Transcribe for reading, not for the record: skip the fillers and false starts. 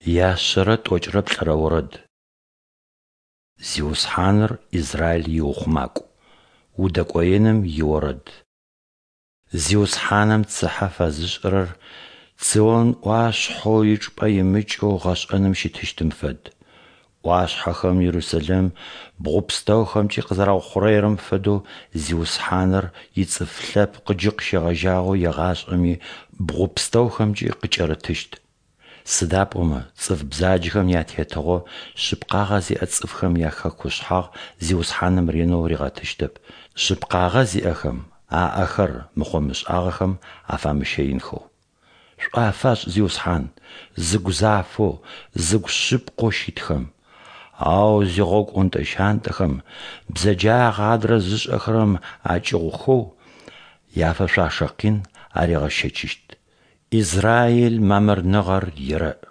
Яшъэрэ тӏокӏрэ плӏырэ орэд. Зиусхьаныр Израиль иухъумакӏу. Удэкӏоеным иорэд. Зиусхьаным цыхьэ фэзышӏырэр Цион ӏуашъхьэу ичӏыпӏэ имыкӏэу гъэшӏэным щытыщтым фэд. ӏуашъхьэхэм Ерусэлэм бгъу пстэухэмкӏи къызэраухъурэирэм фэдэу Зиусхьаныр ицӏыф лъэпкъ джы къыщегъэжьагъэу егъашӏэми бгъу пстэухэмкӏи къыкӏэрытыщт. Сыда пӏомэ цӏыф бзаджэхэм ятетыгъо шъыпкъагъэ зиӏэ цӏыфхэм яхэкушъхьагъ Зиусхьаным ренэу ригъэтыщтэп, шъыпкъагъэ зиӏэхэм аӏэхэр мыхъо-мышӏагъэхэм афамыщэинхэу. Шӏу афашӏ, Зиусхьан, зыгу зафэу, зыгу шъыпкъэу щытхэм. Ау зигъогу ӏонтӏэ-щантӏэхэм, бзэджагъэ адрэ зышӏэхэрэм акӏыгъухэу, яфэшъуашэ къин аригъэщэчыщт. Израиль мамырныгъэр ерэӏ!